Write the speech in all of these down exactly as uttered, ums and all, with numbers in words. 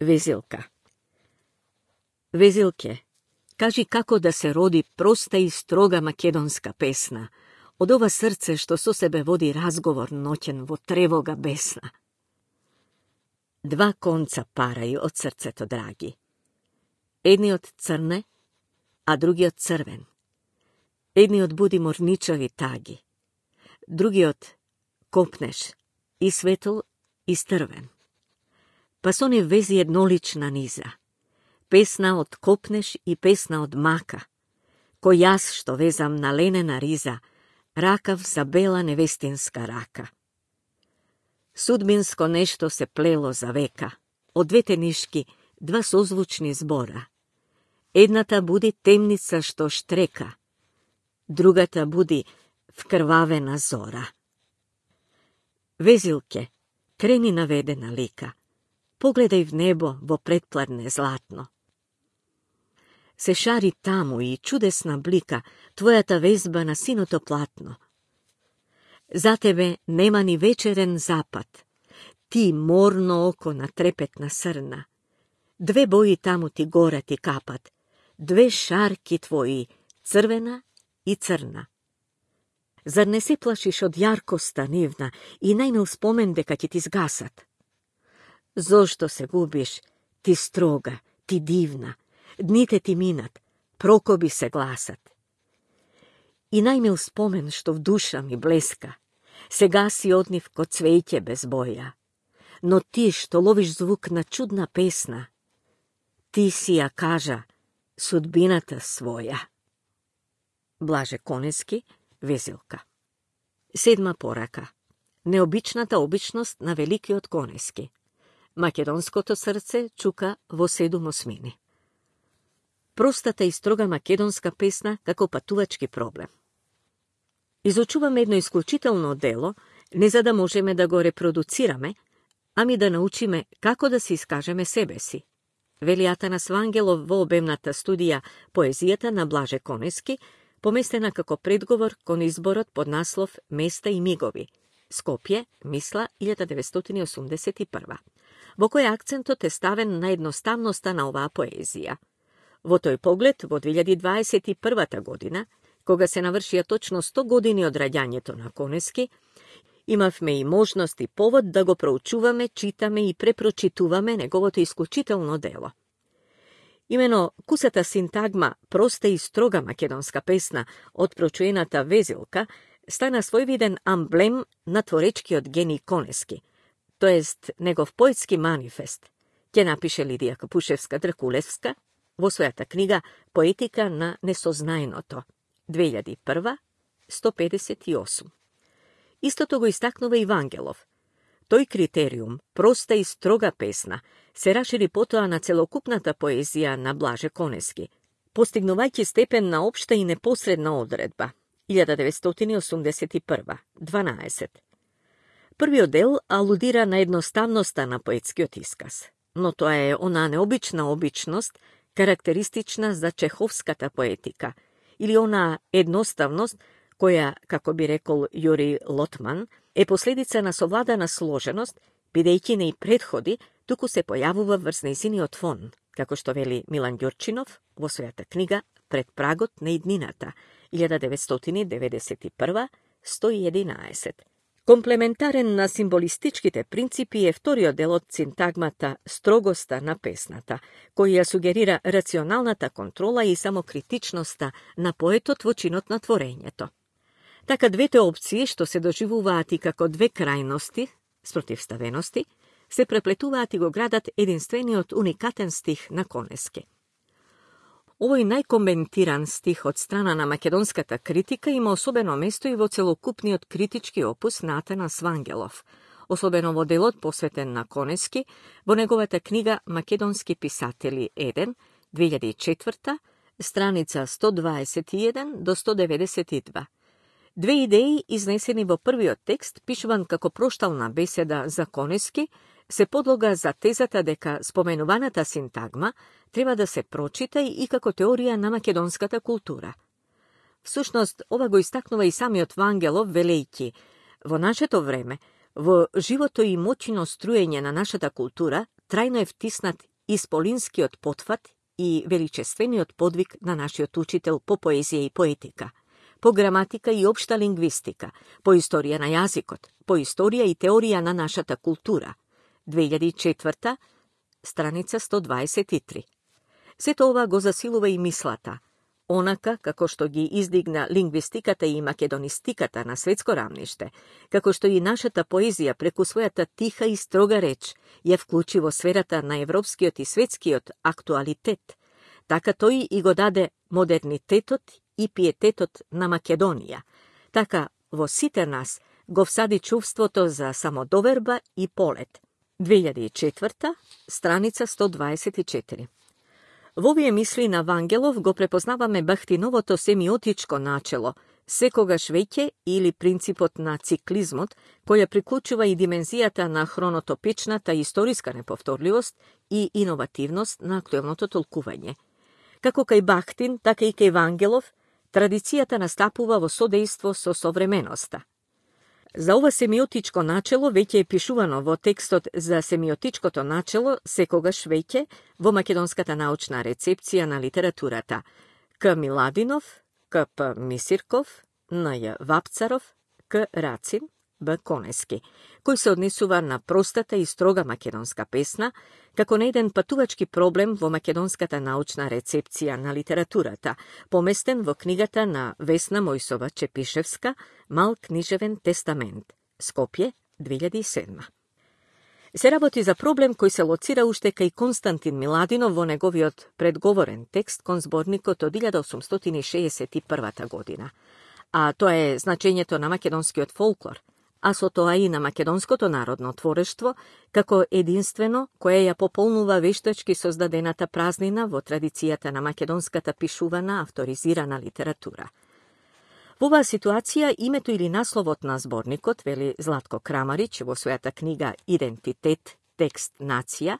Везилка. Везилке, кажи како да се роди проста и строга македонска песна, од ова срце што со себе води разговор ноќен во тревога бесна. Два конца парају од срцето, драги. Едниот црне, а другиот црвен. Едниот буди морничави таги, другиот копнеш, и светол, и стрвен. Па со не вези еднолична низа, песна од копнеш и песна од мака, кој јас што везам на ленена риза, ракав за бела невестинска рака. Судбинско нешто се плело за века, од двете нишки два созвучни збора. Едната буди темница што штрека, другата буди вкрвавена зора. Везилке, крени наведена лика, погледај в небо во предпладне златно. Се шари таму и чудесна блика твојата везба на синото платно. За тебе нема ни вечерен запад, ти морно око на трепетна срна. Две бои таму ти горе ти капат, две шарки твои, црвена и црна. Зар не се плашиш од јаркоста нивна и најмил спомен дека ќе ти згасат? Зошто се губиш, ти строга, ти дивна, дните ти минат, прокоби се гласат. И најмил спомен што в душа ми блеска, сега си од нив ко цвеќе без боја. Но ти што ловиш звук на чудна песна, ти си ја кажа судбината своја. Блаже Конески, Везилка. Седма порака. Необичната обичност на великиот Конески. Македонското срце чука во седум осмини. Простата и строга македонска песна како патувачки проблем. Изучуваме едно исклучително дело, не за да можеме да го репродуцираме, ами да научиме како да се искажеме себе си. Вели Атанас Вангелов во обемната студија Поезијата на Блаже Конески, поместена како предговор кон изборот под наслов Места и мигови, Скопје, Мисла, илјада деветстотини осумдесет и прва, во кој акцентот е ставен на едноставноста на оваа поезија. Во тој поглед, во две илјади дваесет и прва година, кога се навршија точно сто години од раѓањето на Конески, имавме и можност и повод да го проучуваме, читаме и препрочитуваме неговото исклучително дело. Имено кусата синтагма проста и строга македонска песна од прочуената Везилка стана својвиден амблем на творечкиот гений Конески, тоест негов поетски манифест, ќе напише Лидија Капушевска-Дракулевска во својата книга Поетика на несознаеното, две илјади и прва, сто педесет и осум. Истото го истакнува и Вангелов. Тој критериум, проста и строга песна, се расшири потоа на целокупната поезија на Блаже Конески, постигнувајќи степен на општа и непосредна одредба, илјада деветстотини осумдесет и прва, дванаесет. Првиот дел алудира на едноставноста на поетскиот исказ, но тоа е онаа необична обичност, карактеристична за чеховската поетика, или онаа едноставност, која, како би рекол Јури Лотман, е последица на совладана сложеност, бидејќи не и предходи, туку се појавува врз нејзиниот фон, како што вели Милан Ѓурчинов во својата книга Пред прагот на иднината, илјада деветстотини деветдесет и прва, сто и единаесет. Комплементарен на символистичките принципи е вториот дел од синтагмата строгоста на песната, кој ја сугерира рационалната контрола и самокритичноста на поетот во чинот на творењето. Така двете опции, што се доживуваат и како две крајности, спротивставености, се преплетуваат и го градат единствениот уникатен стих на Конески. Овој најкоментиран стих од страна на македонската критика има особено место и во целокупниот критички опус на Атанас Вангелов, особено во делот посветен на Конески, во неговата книга Македонски писатели еден, две илјади и четврта, страница сто дваесет и еден до сто деветдесет и два. Две идеи изнесени во првиот текст, пишуван како проштална беседа за Конески, се подлога за тезата дека споменуваната синтагма треба да се прочита и како теорија на македонската култура. Всушност, ова го истакнува и самиот Вангелов, велејќи: во нашето време, во живото и моќно струење на нашата култура, трајно е втиснат исполинскиот потфат и величествениот подвиг на нашиот учител по поезија и поетика, по граматика и општа лингвистика, по историја на јазикот, по историја и теорија на нашата култура. две илјади и четврта, страница сто дваесет и три. Сето ова го засилува и мислата, онака како што ги издигна лингвистиката и македонистиката на светско рамниште, како што и нашата поезија преку својата тиха и строга реч ја вклучи во сферата на европскиот и светскиот актуалитет, така тој и го даде модернитетот и пиететот на Македонија. Така во сите нас го всади чувството за самодоверба и полет. две илјади и четврта, страница сто дваесет и четири. Во овие мисли на Вангелов го препознаваме бахтиновото семиотичко начело, секогаш веќе или принципот на циклизмот, која приклучува и димензијата на хронотопичната историска неповторливост и иновативност на актуелното толкување. Како кај Бахтин, така и кај Вангелов, традицијата настапува во содејство со современоста. За ова семиотичко начело веќе е пишувано во текстот за семиотичкото начело секогаш веќе во македонската научна рецепција на литературата К. Миладинов, К. П. Мисирков, Н. Ј. Вапцаров, К. Рацин, Б. Конески, кој се однесува на простата и строга македонска песна, како на еден патувачки проблем во македонската научна рецепција на литературата, поместен во книгата на Весна Мојсова Чепишевска «Мал книжевен тестамент», Скопје, две илјади и седма. Се работи за проблем кој се лоцира уште кај Константин Миладинов во неговиот предговорен текст кон зборникот од илјада осумстотини шеесет и првата година, а тоа е значењето на македонскиот фолклор, а со тоа и на македонското народно творештво, како единствено кое ја пополнува вештачки создадената празнина во традицијата на македонската пишувана авторизирана литература. Во оваа ситуација името или насловот на зборникот, вели Златко Крамарич во својата книга Идентитет, текст, нација,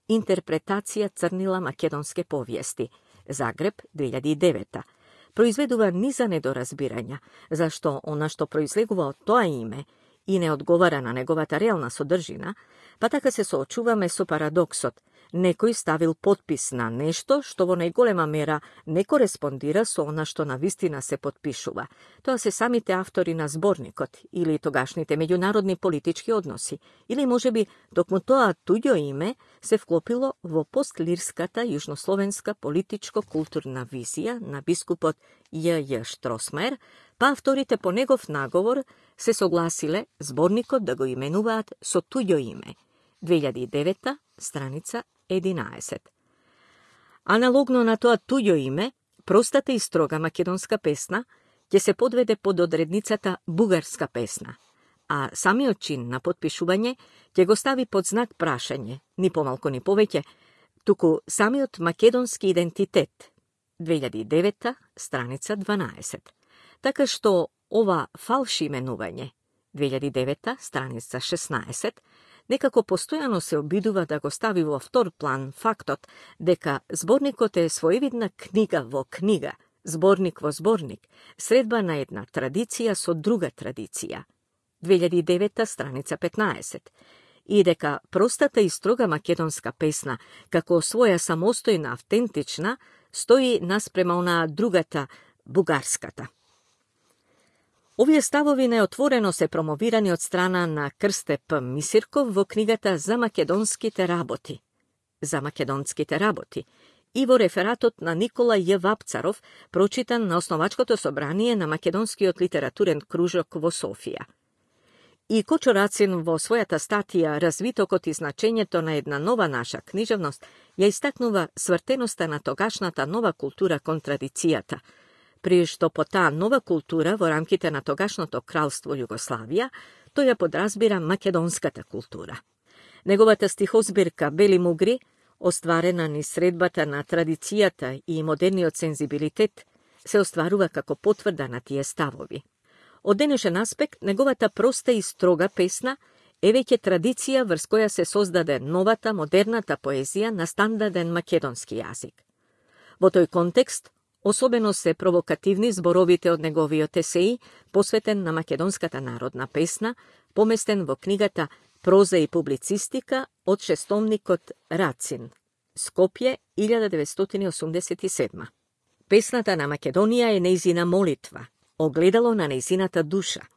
интерпретација црнила македонске повиести, Загреб, две илјади и девета, произведува низа недоразбирања, зашто она што произлегува од тоа име и не одговара на неговата реална содржина, па така се соочуваме со парадоксот. Некој ставил подпис на нешто што во најголема мера не кореспондира со она што на вистина се подпишува. Тоа се самите автори на зборникот или тогашните меѓународни политички односи, или можеби токму тоа туѓо име се вклопило во постлирската јужнословенска политичко-културна визија на бискупот Ј Ј Штросмаер, па авторите по негов наговор се согласиле зборникот да го именуваат со туѓо име. две илјади и девета, страница единаесет. Аналогно на тоа туѓо име, простата и строга македонска песна ќе се подведе под одредницата бугарска песна, а самиот чин на подпишување ќе го стави под знак прашање, ни помалку ни повеќе, туку самиот македонски идентитет, две илјади и девета, страница дванаесет. Така што ова фалши именување, две илјади и девета, страница шеснаесет, некако постојано се обидува да го стави во втор план фактот дека зборникот е своевидна книга во книга, зборник во зборник, средба на една традиција со друга традиција, две илјади и девета, страница петнаесет, и дека простата и строга македонска песна, како своја самостојна автентична, стои наспрема онаа другата, бугарската. Овие ставови неотворено се промовирани од страна на Крсте П. Мисирков во книгата За македонските работи, За македонските работи и во рефератот на Никола Ј. Вапцаров, прочитан на основачкото собрание на Македонскиот литературен кружок во Софија. И Кочо Рацин во својата статија Развитокот и значењето на една нова наша книжевност ја истакнува свртеноста на тогашната нова култура кон традицијата, при што по таа нова култура во рамките на тогашното кралство Југославија, тој ја подразбира македонската култура. Неговата стихозбирка Бели мугри, остварена низ средбата на традицијата и модерниот сензибилитет, се остварува како потврда на тие ставови. Од денешен аспект, неговата проста и строга песна е веќе традиција врз која се создаде новата, модерната поезија на стандарден македонски јазик. Во тој контекст, особено се провокативни зборовите од неговиот есеи, посветен на македонската народна песна, поместен во книгата Проза и публицистика од шестомникот Рацин, Скопје, илјада деветстотини осумдесет и седма. Песната на Македонија е нејзина молитва, огледало на нејзината душа.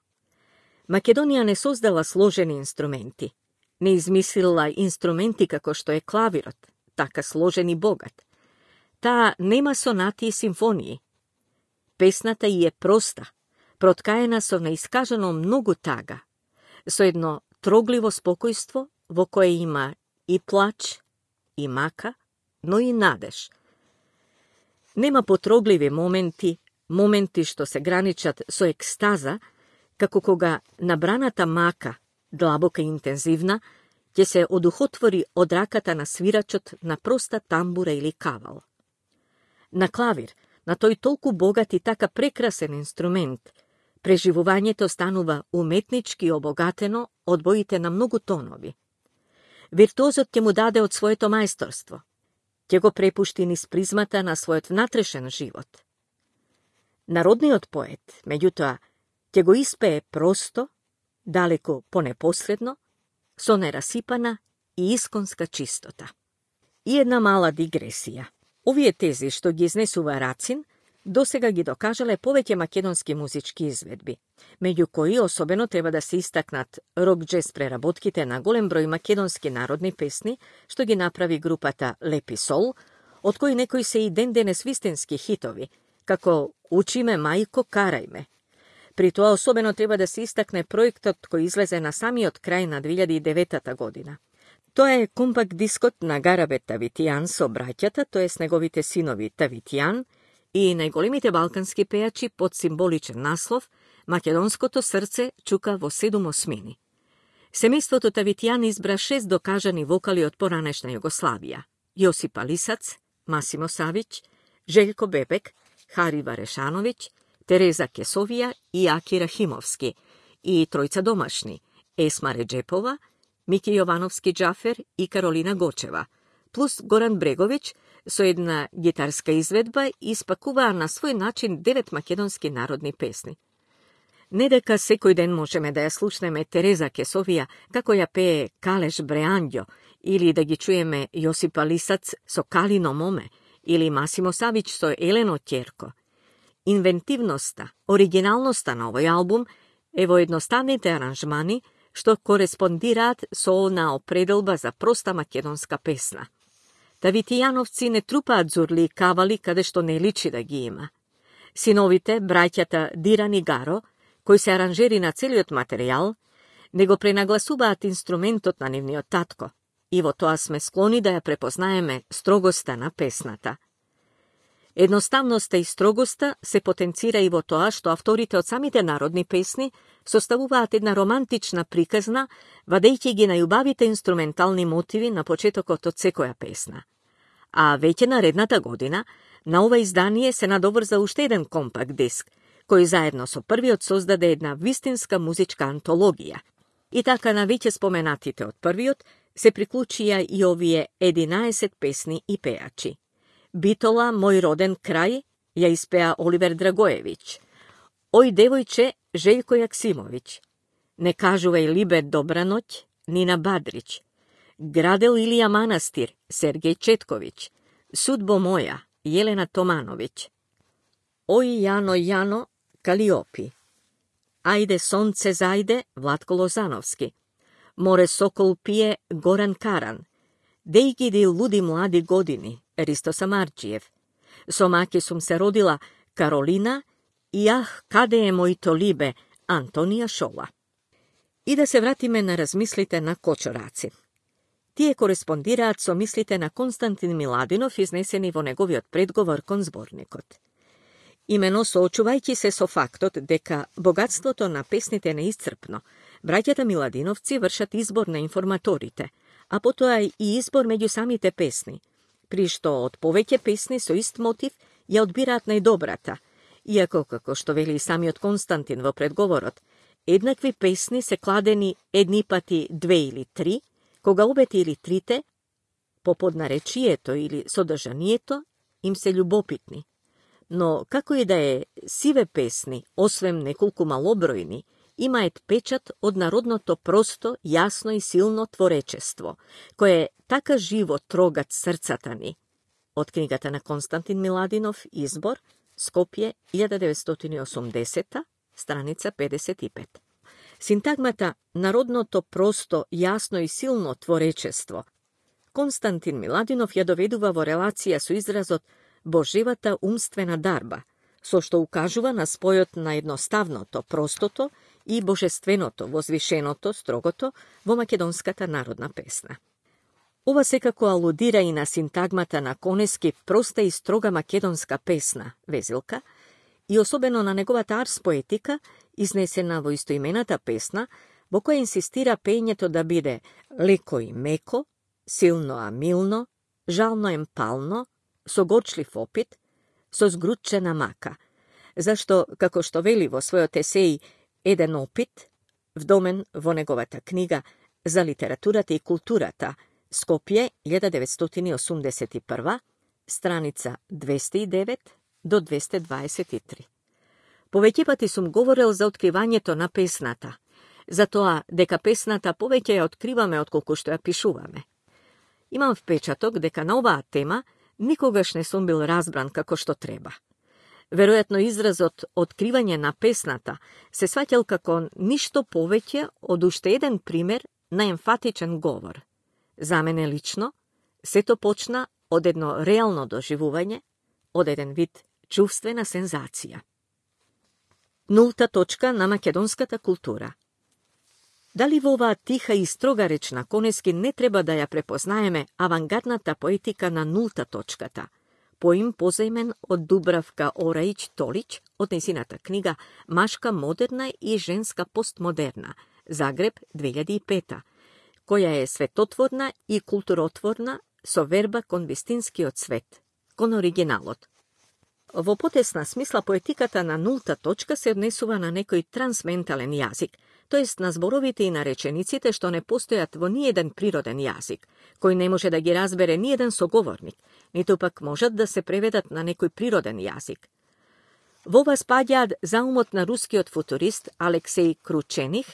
Македонија не создала сложени инструменти, не измислила инструменти како што е клавирот, така сложен и богат. Таа нема сонати и симфонии. Песната и е проста, проткаена со неискажано многу тага, со едно трогливо спокојство во кое има и плач, и мака, но и надеж. Нема потрогливи моменти, моменти што се граничат со екстаза, како кога набраната мака, длабока и интензивна, ќе се одухотвори од раката на свирачот на проста тамбура или кавал. На клавир, на тој толку богат и така прекрасен инструмент, преживувањето станува уметнички обогатено од боите на многу тонови. Виртуозот ќе му даде од своето мајсторство, ќе го препушти низ призмата на својот внатрешен живот. Народниот поет, меѓутоа, ќе го испее просто, далеко понепосредно, со нерасипана и исконска чистота. И една мала дигресија. Овие тези што ги изнесува Рацин, досега ги докажале повеќе македонски музички изведби, меѓу кои особено треба да се истакнат рок-джез преработките на голем број македонски народни песни, што ги направи групата Лепи Сол, од кои некои се и ден денес вистински хитови, како Учи ме, мајко, карај ме. При тоа особено треба да се истакне проектот кој излезе на самиот крај на две илјади и девета година. Тоа е компакт дискот на Гарабет Тавитијан со браќата, тоест неговите синови Тавитијан, и најголемите балкански пејачи под символичен наслов «Македонското срце чука во седум осмини». Семејството Тавитијан избра шест докажани вокали од поранешна Југославија: Јосип Алисац, Масимо Савиć, Желјко Бебек, Хари Варешановиć, Тереза Кесовија и Аки Рахимовски, и тројца домашни: Есма Реджепова, Мики Јовановски Џафер и Каролина Гочева, плюс Горан Бреговиќ со една гитарска изведба испакуваа на свој начин девет македонски народни песни. Не дека секој ден можеме да ја слушнеме Тереза Кесовија како ја пее Калеш Бреанѓо, или да ги чуеме Јосип Алисац со Калино моме, или Масимо Савиć со Елено ќерко. Инвентивноста, оригиналноста на овој албум е во едноставните аранжмани што кореспондираат со онаа определба за проста македонска песна. Тавитијановци не трупаат зурли и кавали каде што не личи да ги има. Синовите, браќата Диран и Гаро, кои се аранжери на целиот материјал, не го пренагласуваат инструментот на нивниот татко, и во тоа сме склони да ја препознаеме строгоста на песната. Едноставноста и строгоста се потенцира и во тоа што авторите од самите народни песни составуваат една романтична приказна, вадејќи ги најубавите инструментални мотиви на почетокот од секоја песна. А веќе наредната година на ова издание се надоврза уште еден компакт диск, кој заедно со првиот создаде една вистинска музичка антологија. И така на веќе споменатите од првиот се приклучија и овие единаесет песни и пејачи. Битола, Мој роден крај, ја испеа Оливер Драгоевиќ. Ој девојче, Желјко Јаксимовиќ. Не кажувај либе добра ноќ, Нина Бадрич. Градел Илија Манастир, Сергеј Четковиќ. Судбо моја, Јелена Томановиќ. Ој Јано Јано, Калиопи. Ајде сонце зајде, Владко Лозановски. Море сокол пие, Горан Каран. Деј ги луди млади години, Ристо Самарџиев. Со маки сум се родила, Каролина, и ах, каде е мојто либе, Антонија Шола. И да се вратиме на размислите на Кочо Рацин. Тие кореспондираат со мислите на Константин Миладинов, изнесени во неговиот предговор кон зборникот. Имено соочувајќи се со фактот дека богатството на песните не исцрпно, браќата Миладиновци вршат избор на информаторите, а потоа и избор меѓу самите песни, при што од повеќе песни со ист мотив ја одбираат најдобрата, иако, како што вели самиот Константин во предговорот, еднакви песни се кладени едни пати две или три, кога обете или трите, по поднаречието или содржанието, им се љубопитни. Но, како и да е, сиве песни, освен неколку малобројни, има ет печат од народното просто, јасно и силно творечество, кое е така живо трогат срцата ни. Од книгата на Константин Миладинов, Избор, Скопје, илјада деветстотини и осумдесета, страница педесет и пет. Синтагмата народното просто, јасно и силно творечество Константин Миладинов ја доведува во релација со изразот Божевата умствена дарба, со што укажува на спојот на едноставното, простото и божественото, возвишеното, строгото во македонската народна песна. Ова секако алудира и на синтагмата на Конески проста и строга македонска песна, Везилка, и особено на неговата арс поетика, изнесена во истоимената песна, во која инсистира пењето да биде леко и меко, силно а милно, жално емпално, со горчлив опит, со згрутчена мака, зашто, како што вели во својот есеј Еден опит, вдомен во неговата книга за литературата и културата, Скопје, илјада деветстотини и осумдесет и прва, страница двесте и девет до двесте дваесет и три. Повеќе пати сум говорил за откривањето на песната, за тоа дека песната повеќе ја откриваме отколку што ја пишуваме. Имам впечаток дека на оваа тема никогаш не сум бил разбран како што треба. Веројатно изразот откривање на песната се сваќал како ништо повеќе од уште еден пример на емфатичен говор. За мене лично, сето почна од едно реално доживување, од еден вид чувствена сензација. Нулта точка на македонската култура. Дали во оваа тиха и строга реч на Конески не треба да ја препознаеме авангардната поетика на нулта точката, поим позајмен од Дубравка Ораич Толич од незината книга Машка модерна и женска постмодерна, Загреб, две илјади и пета, која е светотворна и културотворна со верба кон вистинскиот свет, кон оригиналот. Во потесна смисла поетиката на нулта точка се однесува на некој трансментален јазик, тоест на зборовите и на речениците што не постојат во ниеден природен јазик, кој не може да ги разбере ниеден соговорник, ниту пак можат да се преведат на некој природен јазик. Во ова спаѓаат заумот на рускиот футурист Алексеј Кручених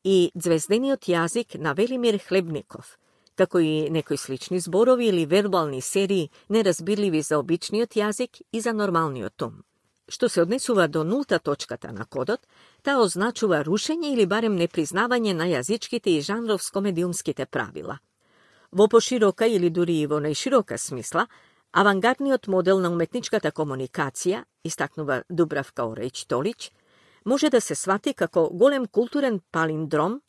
и звездениот јазик на Велимир Хлебников, како и некои слични зборови или вербални серии неразбирливи за обичниот јазик и за нормалниот ум. Што се однесува до нулта точката на кодот, таа означува рушење или барем непризнавање на јазичките и жанровско-медиумските правила. Во поширока или дури и во најширока смисла, авангардниот модел на уметничката комуникација, истакнува Дубравка Ораич Толич, може да се свати како голем културен палиндром,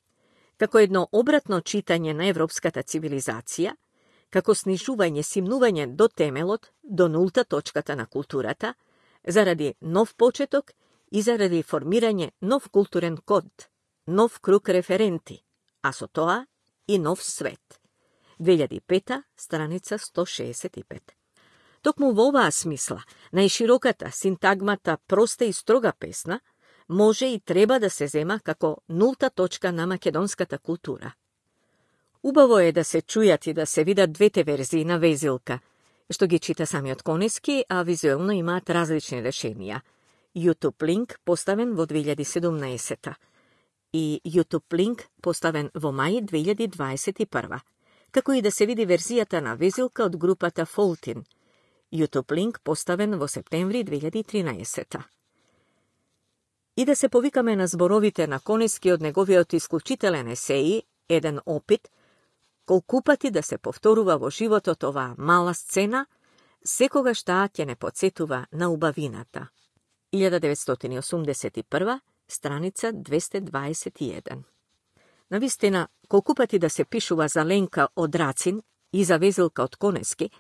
како едно обратно читање на европската цивилизација, како снижување, симнување до темелот, до нулта точката на културата, заради нов почеток и заради формирање нов културен код, нов круг референти, а со тоа и нов свет. две илјади и пета, страница сто шеесет и пет. Токму во оваа смисла, најшироката синтагмата проста и строга песна може и треба да се зема како нулта точка на македонската култура. Убаво е да се чујат и да се видат двете верзии на Везилка, што ги чита самиот Конески, а визуелно имаат различни решенија. YouTube линк поставен во две илјади и седумнаесета и YouTube линк поставен во мај две илјади дваесет и прва, како и да се види верзијата на Везилка од групата Фолтин, YouTube линк поставен во септември две илјади и тринаесета. И да се повикаме на зборовите на Конески од неговиот исклучителен есеи Еден опит, колку пати да се повторува во животот оваа мала сцена, секогаш таа ќе не потсетува на убавината. илјада деветстотини и осумдесет и прва, страница двесте дваесет и еден. Навистина, колку пати да се пишува за Ленка од Рацин и за Везилка од Конески,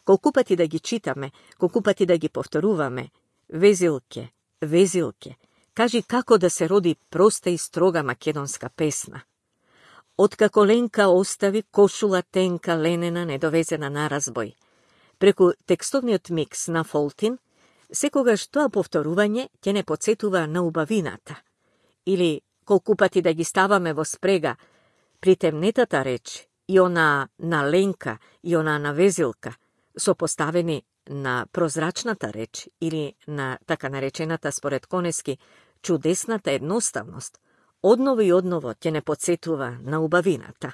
колку пати да ги читаме, колку пати да ги повторуваме, Везилке, Везилке, кажи како да се роди проста и строга македонска песна. Откако Ленка остави кошула тенка ленена недовезена на разбој, преку текстовниот микс на Фолтин, секогаш тоа повторување ќе не потсетува на убавината. Или колку пати да ги ставаме во спрега, при темнетата реч и она на Ленка и она на Везилка, сопоставени на прозрачната реч или на така наречената според Конески чудесната едноставност, одново и одново ќе не подсетува на убавината.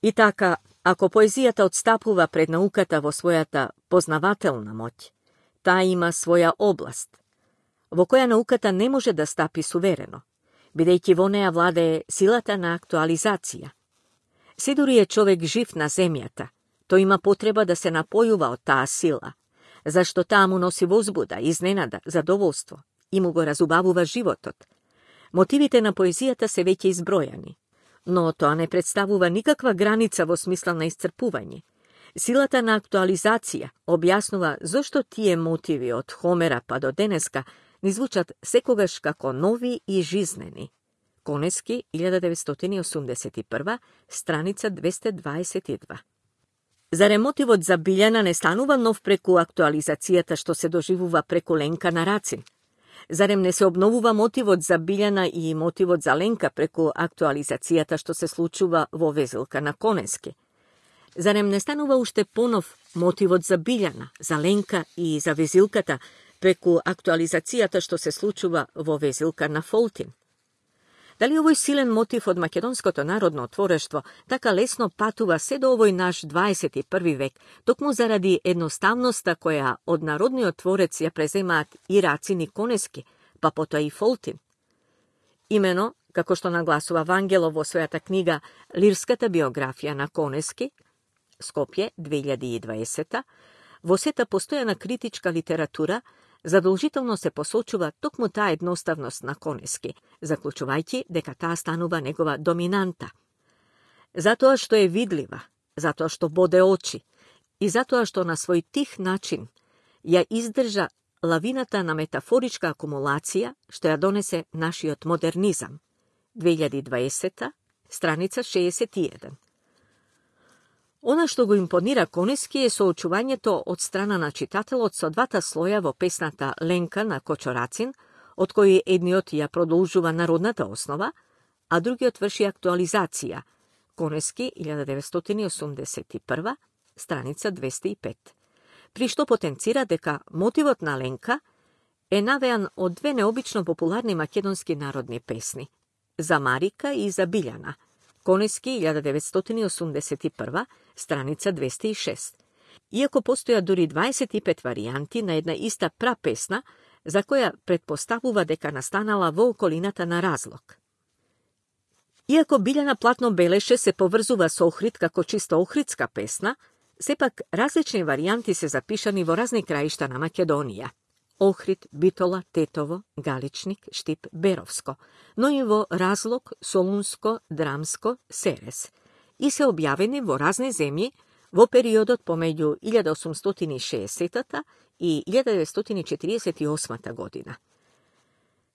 И така, ако поезијата отстапува пред науката во својата познавателна моќ, таа има своја област, во која науката не може да стапи суверено, бидејќи во неја владее силата на актуализација. Се дури е човек жив на земјата, тој има потреба да се напојува од таа сила, зашто таа му носи возбуда, изненада, задоволство и му го разубавува животот. Мотивите на поезијата се веќе избројани, но тоа не представува никаква граница во смисла на исцрпување. Силата на актуализација објаснува зошто тие мотиви од Хомера па до денеска ни звучат секогаш како нови и жизнени. Конески, илјада деветстотини и осумдесет и прва, страница двесте дваесет и два. Зарем мотивот за Билјана не станува нов преку актуализацијата што се доживува преку Ленка на Рацин? Зарем не се обновува мотивот за Билјана и мотивот за Ленка преку актуализацијата што се случува во Везилка на Конески? Зарем не станува уште понов мотивот за Билјана, за Ленка и за Везилката преку актуализацијата што се случува во Везилка на Фолтин? Дали овој силен мотив од македонското народно творештво така лесно патува се до овој наш дваесет и први век, токму заради едноставноста која од народниот творец ја преземаат и Рацин и Конески, па потоа и Фолтин? Имено, како што нагласува Вангелов во својата книга Лирската биографија на Конески, Скопје, две илјади и дваесета, во сета постојана критичка литература задолжително се посочува токму таа едноставност на Конески, заклучувајќи дека таа станува негова доминанта. Затоа што е видлива, затоа што боде очи и затоа што на свој тих начин ја издржа лавината на метафоричка акумулација што ја донесе нашиот модернизам. две илјади и дваесета, страница шеесет и еден. Она што го импонира Конески е соочувањето од страна на читателот со двата слоја во песната Ленка на Кочо Рацин, од кои едниот ја продолжува народната основа, а другиот врши актуализација. Конески, илјада деветстотини и осумдесет и прва, страница двесте и пет. При што потенцира дека мотивот на Ленка е навеан од две необично популарни македонски народни песни, за Марика и за Билјана. Конески, илјада деветстотини и осумдесет и прва, страница двесте и шест. Иако постојат дури дваесет и пет варијанти на една иста прапесна, за која предпоставува дека настанала во околината на Разлог. Иако Билјана платно белеше се поврзува со Охрид како чисто охридска песна, сепак различни варијанти се запишани во разни краишта на Македонија. Охрид, Битола, Тетово, Галичник, Штип, Беровско, но и во Разлог, Солунско, Драмско, Серес, и се објавени во разни земји во периодот помеѓу илјада осумстотини и шеесетата и илјада деветстотини и четириесет и осмата година.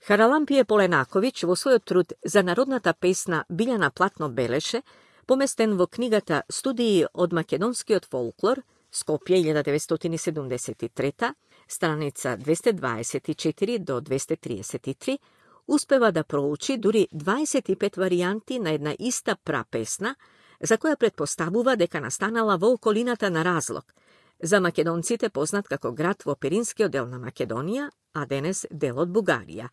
Харалампие Поленаковиќ во својот труд за народната песна Билјана платно белеше, поместен во книгата Студии од македонскиот фолклор, Скопје, илјада деветстотини седумдесет и трета, страница двесте дваесет и четири до двесте триесет и три, успева да проучи дури дваесет и пет варијанти на една иста прапесна, за која предпоставува дека настанала во околината на Разлог, за македонците познат како град во Пиринскиот дел на Македонија, а денес дел од Бугарија.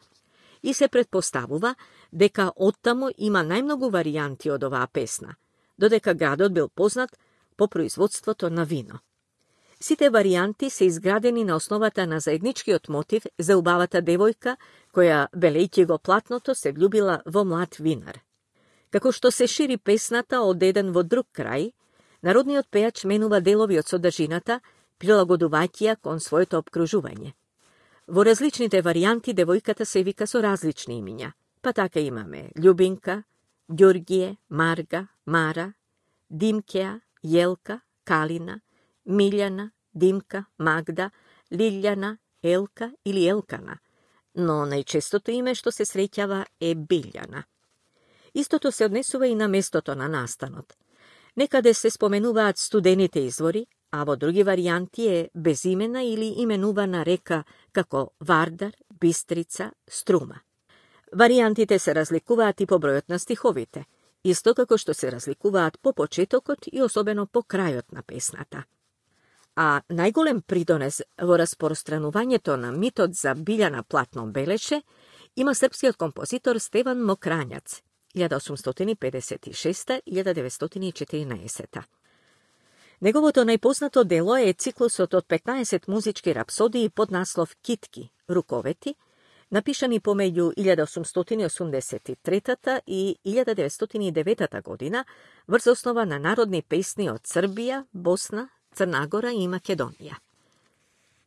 И се предпоставува дека оттаму има најмногу варијанти од оваа песна, додека градот бил познат по производството на вино. Сите варијанти се изградени на основата на заедничкиот мотив за убавата девојка, која, белејќи го платното, се влюбила во млад винар. Како што се шири песната од еден во друг крај, народниот пејач менува делови од содржината, прилагодувајќи ја кон своето обкружување. Во различните варијанти девојката се вика со различни имиња, па така имаме Љубинка, Ѓоргије, Марга, Мара, Димкеа, Јелка, Калина, Милјана, Димка, Магда, Лилјана, Елка или Елкана, но најчестото име што се среќава е Билјана. Истото се однесува и на местото на настанот. Некаде се споменуваат студените извори, а во други варијанти е безимена или именувана река како Вардар, Бистрица, Струма. Варијантите се разликуваат и по бројот на стиховите, исто како што се разликуваат по почетокот и особено по крајот на песната. А најголем придонес во распространувањето на митот за Билјана платно белеше има српскиот композитор Стеван Мокранјац, илјада осумстотини педесет и шеста до илјада деветстотини и четиринаесета. Неговото најпознато дело е циклусот од петнаесет музички рапсодии под наслов Китки, руковети, напишани помеѓу илјада осумстотини осумдесет и трета и илјада деветстотини и девета година врз основа на народни песни од Србија, Босна, Црна Гора и Македонија.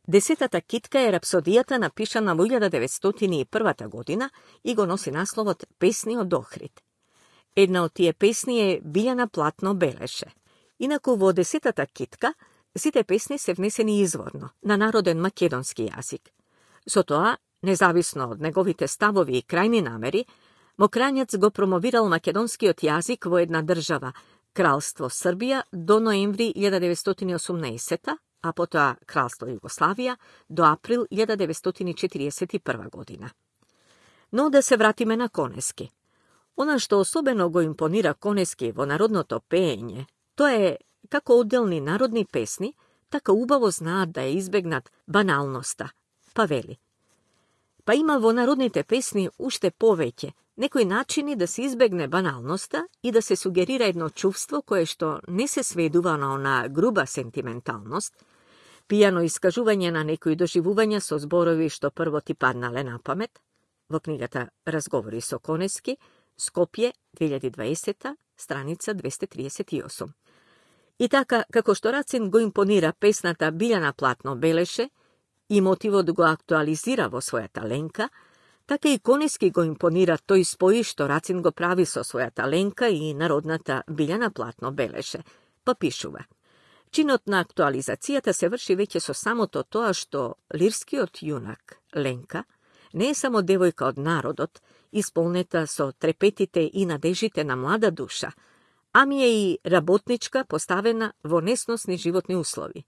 Десетата китка е рапсодијата напишана во илјада деветстотини и прва година и го носи насловот Песни од Охрид. Една од тие песни е Билјана Платно белеше. Инаку во десетата китка сите песни се внесени изворно, на народен македонски јазик. Со тоа, независно од неговите ставови и крајни намери, Мокранјац го промовирал македонскиот јазик во една држава, Кралство Србија, до ноември илјада деветстотини и осумнаесета, а потоа Кралство Југославија до април илјада деветстотини и четириесет и прва година. Но да се вратиме на Конески. Она што особено го импонира Конески во народното пеење, тоа е како одделни народни песни, така убаво знаат да ја избегнат баналноста, па вели. Па има во народните песни уште повеќе, некои начини да се избегне баналноста и да се сугерира едно чувство кое што не се сведува на она груба сентименталност, пијано искажување на некои доживувања со зборови што прво ти паднале на памет, во книгата Разговори со Конески, Скопје, две илјади и дваесета, страница двесте триесет и осум. И така, како што Рацин го импонира песната Билјана Платно белеше и мотивот го актуализира во својата ленка, така и Конески го импонира тој спој што Рацин го прави со својата ленка и народната Билјана Платно белеше, па пишува. Чинот на актуализацијата се врши веќе со самото тоа што лирскиот јунак, Ленка, не е само девојка од народот, исполнета со трепетите и надежите на млада душа, ами е и работничка поставена во несносни животни услови.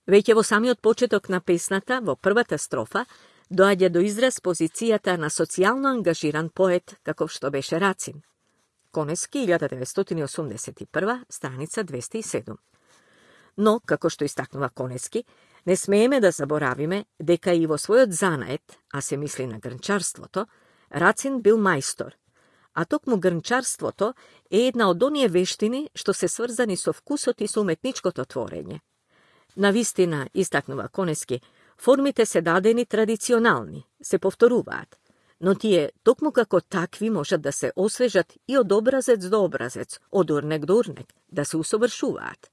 Веќе во самиот почеток на песната, во првата строфа, доаѓа до израз позицијата на социјално ангажиран поет, каков што беше Рацин. Конески, илјада деветстотини и осумдесет и прва, страница двесте и седум. Но, како што истакнува Конески, не смееме да заборавиме дека и во својот занает, а се мисли на грнчарството, Рацин бил мајстор, а токму грнчарството е една од оние вештини што се сврзани со вкусот и со уметничкото творење. Навистина, истакнува Конески, формите се дадени традиционални, се повторуваат, но тие токму како такви можат да се освежат и од образец до образец, од урнек до урнек, да се усовршуваат.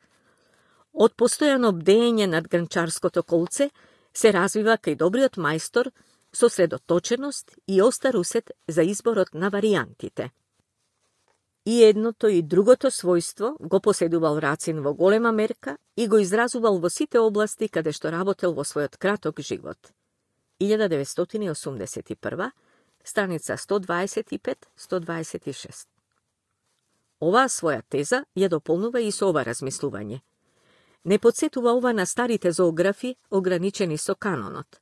Од постојано бдење над грнчарското колце се развива кај добриот мајстор со средоточеност и остар усет за изборот на варијантите. И едното и другото својство го поседувал Рацин во голема мерка и го изразувал во сите области каде што работел во својот краток живот. илјада деветстотини и осумдесет и прва, страница сто дваесет и пет до сто дваесет и шест. Оваа своја теза ја дополнува и со ова размислување. Не подсетува ова на старите зоографи, ограничени со канонот.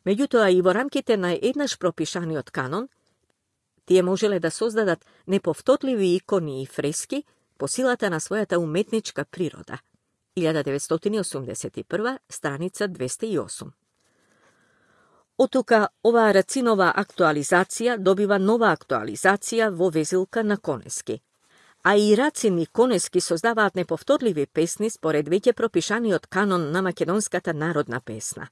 Меѓутоа и во рамките на еднаш пропишаниот канон, тие можеле да создадат неповторливи икони и фрески по силата на својата уметничка природа. илјада деветстотини и осумдесет и прва, страница двесте и осум. Оттука, оваа Рацинова актуализација добива нова актуализација во везилка на Конески. А и Рацин и Конески создаваат неповторливи песни според веќе пропишаниот канон на македонската народна песна.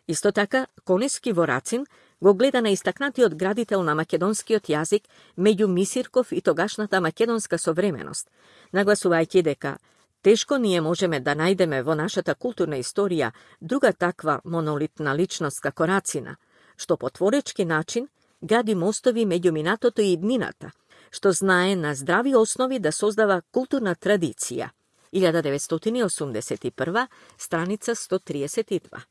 Исто така, Конески во Рацин го гледа на истакнатиот градител на македонскиот јазик меѓу Мисирков и тогашната македонска современост, нагласувајќи дека тешко ние можеме да најдеме во нашата културна историја друга таква монолитна личност како Рацина, што по творечки начин гради мостови меѓу минатото и иднината, што знае на здрави основи да создава културна традиција. илјада деветстотини и осумдесет и прва, страница сто триесет и два.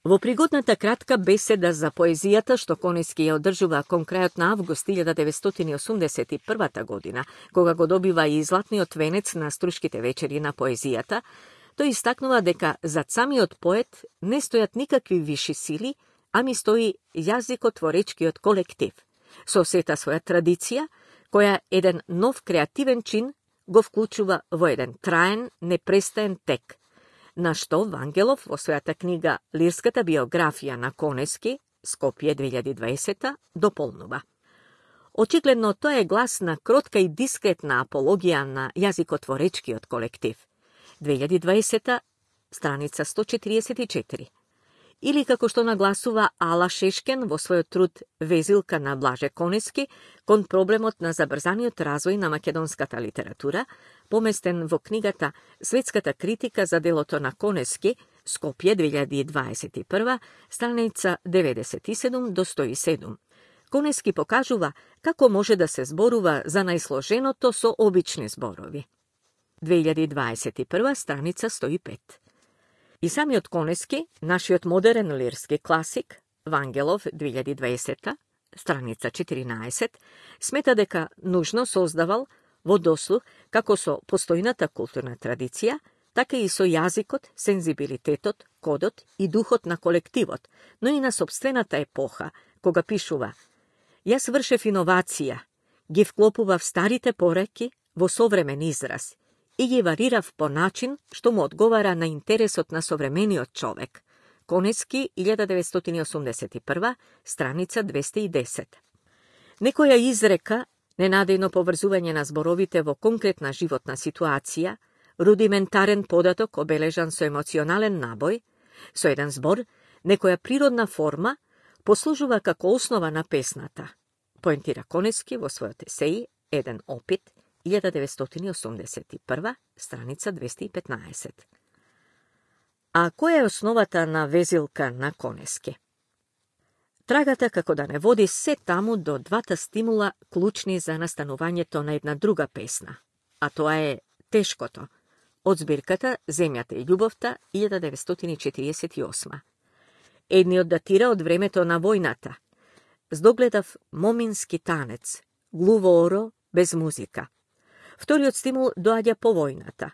Во пригодната кратка беседа за поезијата што Конески ја одржува кон крајот на август илјада деветстотини и осумдесет и прва година, кога го добива и златниот венец на Струшките вечери на поезијата, тој истакнува дека зад самиот поет не стојат никакви виши сили, ами стои јазикотворечкиот колектив, со сета своја традиција, која еден нов креативен чин го вклучува во еден траен, непрестаен тек, на што Вангелов во својата книга Лирската биографија на Конески, Скопје две илјади и дваесета, дополнува. Очигледно тоа е глас на кротка и дискретна апологија на јазикотворечкиот колектив. две илјади и дваесета, страница сто четиридесет и четири. Или како што нагласува Ала Шешкен во својот труд Везилка на Блаже Конески кон проблемот на забрзаниот развој на македонската литература, поместен во книгата Светската критика за делото на Конески, Скопје две илјади дваесет и прва, страница деветдесет и седум до сто и седум. Конески покажува како може да се зборува за најсложеното со обични зборови. две илјади дваесет и прва, страница сто и пет. И самиот Конески, нашиот модерен лирски класик, Вангелов две илјади и дваесета, страница четиринаесет, смета дека нужно создавал во дослух како со постојната културна традиција, така и со јазикот, сензибилитетот, кодот и духот на колективот, но и на собствената епоха, кога пишува: Јас вршев иновација, ги вклопував старите пореки во современ израз и ги варирав по начин што му одговара на интересот на современиот човек. Конески, илјада деветстотини и осумдесет и прва, страница двесте и десет. Некоја изрека, ненадејно поврзување на зборовите во конкретна животна ситуација, рудиментарен податок обележан со емоционален набој, со еден збор, некоја природна форма, послужува како основа на песната, поентира Конески во својот есеи Еден опит, илјада деветстотини и осумдесет и прва, страница двесте и петнаесет. А која е основата на Везилка на Конески? Трагата како да не води се таму до двата стимула клучни за настанувањето на една друга песна, а тоа е Тешкото, од збирката Земјата и љубовта, илјада деветстотини и четириесет и осма. Едниот датира од времето на војната. Здогледав момински танец, глуво оро без музика. Вториот стимул доаѓа по војната.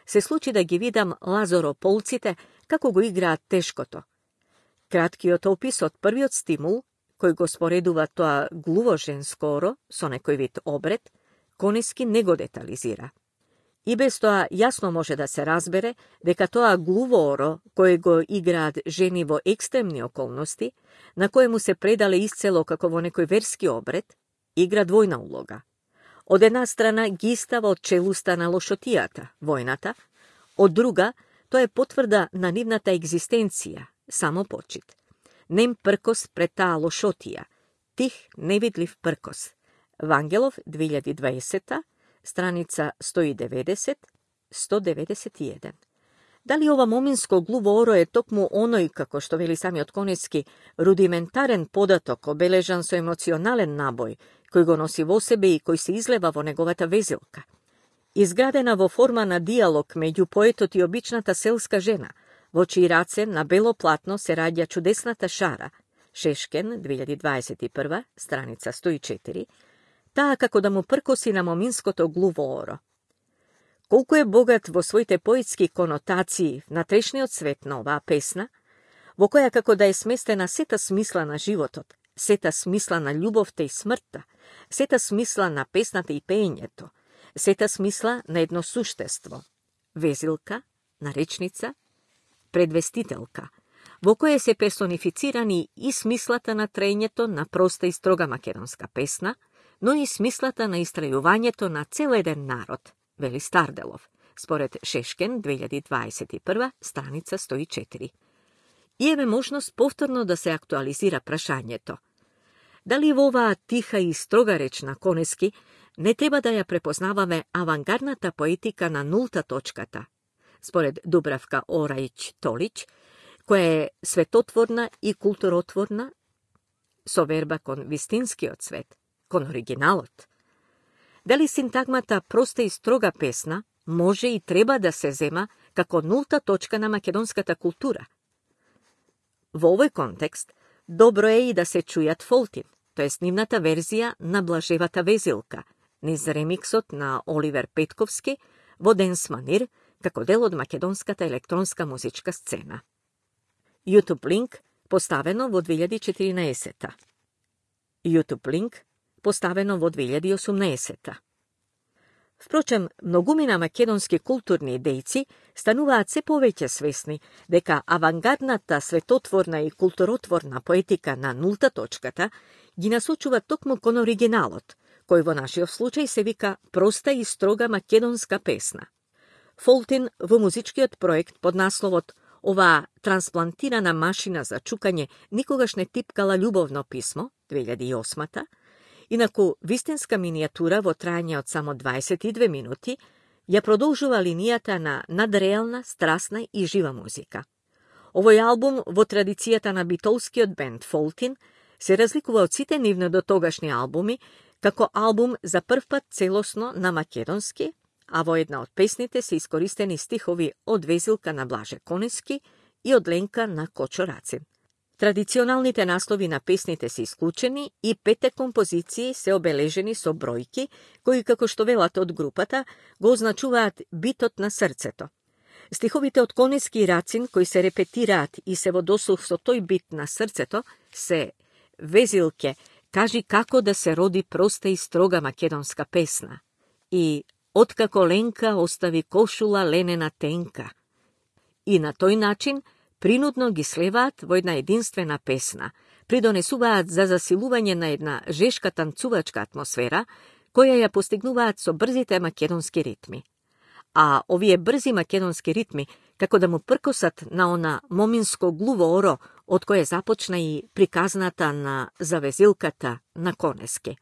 Се случи да ги видам лазорополците како го играат Тешкото. Краткиот опис од првиот стимул, кој го споредува тоа глуво женско оро со некој вид обред, Конески не го детализира. И без тоа јасно може да се разбере дека тоа глуво оро, кој го играат жени во екстремни околности, на кое му се предале исцело како во некој верски обред, игра двојна улога. Од една страна ги става од челуста на лошотијата, војната, од друга тоа е потврда на нивната екзистенција, само почит. Нем пркос пред таа лошотија, тих невидлив пркос. Вангелов две илјади и дваесета, страница сто и деветдесет до сто деветдесет и еден. Дали ова моминско глуво оро е токму оној, како што вели самиот Конески, рудиментарен податок обележан со емоционален набој, кој го носи во себе и кој се излева во неговата Везилка? Изградена во форма на диалог меѓу поетот и обичната селска жена, во чии раце на бело платно се раѓа чудесната шара, Шешкен, две илјади дваесет и прва, страница сто и четири, таа како да му пркоси на моминското глуво оро. Колку е богат во своите поетски конотации внатрешниот свет на оваа песна, во која како да е сместена сета смисла на животот, сета смисла на љубовта и смртта, сета смисла на песната и пеењето, сета смисла на едно суштество, Везилка, наречница, предвестителка, во која се персонифицирани и смислата на трењето на проста и строга македонска песна, но и смислата на истрајувањето на цел еден народ, вели Старделов, според Шешкен, две илјади дваесет и прва, страница сто и четири. И еве можност повторно да се актуализира прашањето. Дали во оваа тиха и строга реч на Конески не треба да ја препознаваме авангардната поетика на нулта точката, според Дубравка Орајќ-Толиќ, која е светотворна и културотворна, со верба кон вистинскиот свет, кон оригиналот? Дали синтагмата проста и строга песна може и треба да се зема како нулта точка на македонската култура? Во овој контекст, добро е и да се чујат Фолтин, тоест нивната верзија на Блажевата Везилка, низ ремиксот на Оливер Петковски во Денс Манир, како дел од македонската електронска музичка сцена. YouTube линк поставено во две илјади и четиринаесета. YouTube линк поставено во две илјади и осумнаесета. Впрочем, многумина македонски културни дејци стануваат се повеќе свесни дека авангардната светотворна и културотворна поетика на нулта точката ги насочува токму кон оригиналот, кој во нашиот случај се вика проста и строга македонска песна. Фолтин во музичкиот проект под насловот "Оваа трансплантирана машина за чукање никогаш не типкала љубовно писмо" две илјади и осма, инаку вистинска минијатура во трајање од само дваесет и две минути, ја продолжува линијата на надреална, страстна и жива музика. Овој албум во традицијата на битолскиот бенд Фолтин се разликува од сите нивни дотогашни албуми како албум за прв пат целосно на македонски, а во една од песните се искористени стихови од Везилка на Блаже Конески и од Ленка на Кочо Рацин. Традиционалните наслови на песните се исклучени и петте композиции се обележени со бројки, кои, како што велат од групата, го означуваат битот на срцето. Стиховите од Конески и Рацин, кои се репетираат и се во дослух со тој бит на срцето, се "Везилке, кажи како да се роди проста и строга македонска песна" и "Откако Ленка остави кошула ленена тенка". И на тој начин принудно ги слеваат во една единствена песна, придонесуваат за засилување на една жешка танцувачка атмосфера, која ја постигнуваат со брзите македонски ритми. А овие брзи македонски ритми, како да му пркосат на она моминско глуво оро, од кое започна и приказната на завезилката на Конески.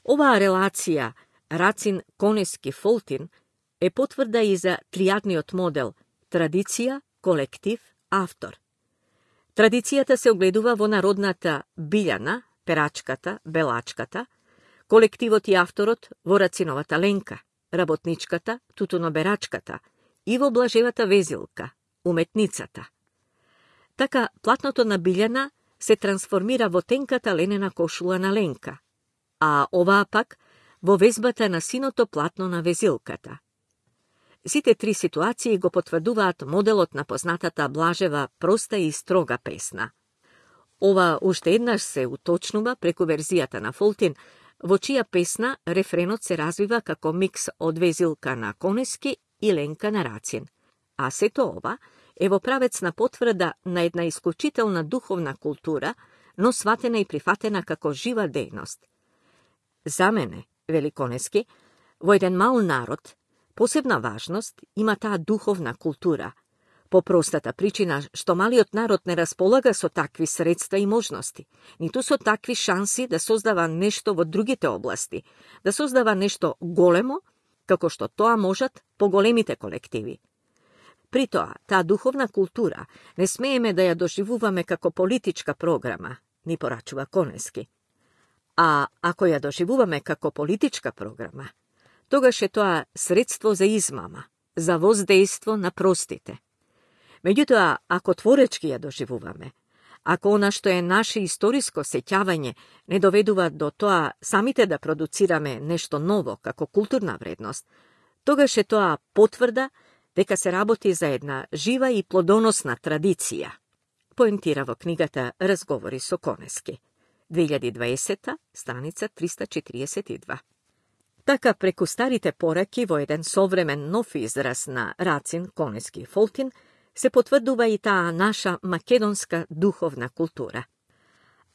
Оваа релација Рацин-Конески-Фолтин е потврда и за тријадниот модел традиција, колектив, автор. Традицијата се огледува во народната Билјана, перачката, белачката, колективот и авторот во Рациновата Ленка, работничката, тутуноберачката и во Блажевата Везилка, уметницата. Така, платното на Билјана се трансформира во тенката ленена кошула на Ленка, а оваа пак во везбата на синото платно на Везилката. Сите три ситуации го потврдуваат моделот на познатата Блажева проста и строга песна. Ова уште еднаш се уточнува преку верзијата на Фолтин, во чија песна рефренот се развива како микс од Везилка на Конески и Ленка на Рацин, а сето ова е во правец на потврда на една исклучителна духовна култура, но сватена и прифатена како жива дејност. За мене, вели Конески, во еден мал народ, посебна важност има таа духовна култура, по простата причина што малиот народ не располага со такви средства и можности, ниту со такви шанси да создава нешто во другите области, да создава нешто големо, како што тоа можат поголемите колективи. При тоа, таа духовна култура не смееме да ја доживуваме како политичка програма, ни порачува Конески. А ако ја доживуваме како политичка програма, тогаш е тоа средство за измама, за воздейство на простите. Меѓутоа, ако творечки ја доживуваме, ако она што е наше историско сеќавање не доведува до тоа самите да продуцираме нешто ново како културна вредност, тогаш е тоа потврда дека се работи за една жива и плодоносна традиција, поентира во книгата Разговори со Конески, две илјади и дваесета, страница триста четириесет и два. Така, преку старите пораки во еден современ нов израз на Рацин, Конески и Фолтин, се потврдува и таа наша македонска духовна култура.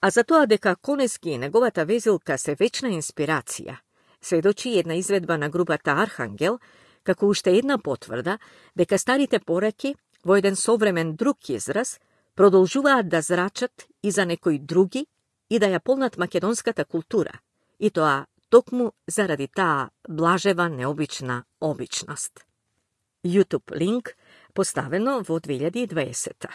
А за тоа дека Конески и неговата Везилка се вечна инспирација, сведочи една изведба на групата Архангел, како уште една потврда дека старите пораки во еден современ друг израз продолжуваат да зрачат и за некои други и да ја полнат македонската култура, и тоа токму заради таа блажева необична обичност. YouTube линк поставено во две илјади и дваесета.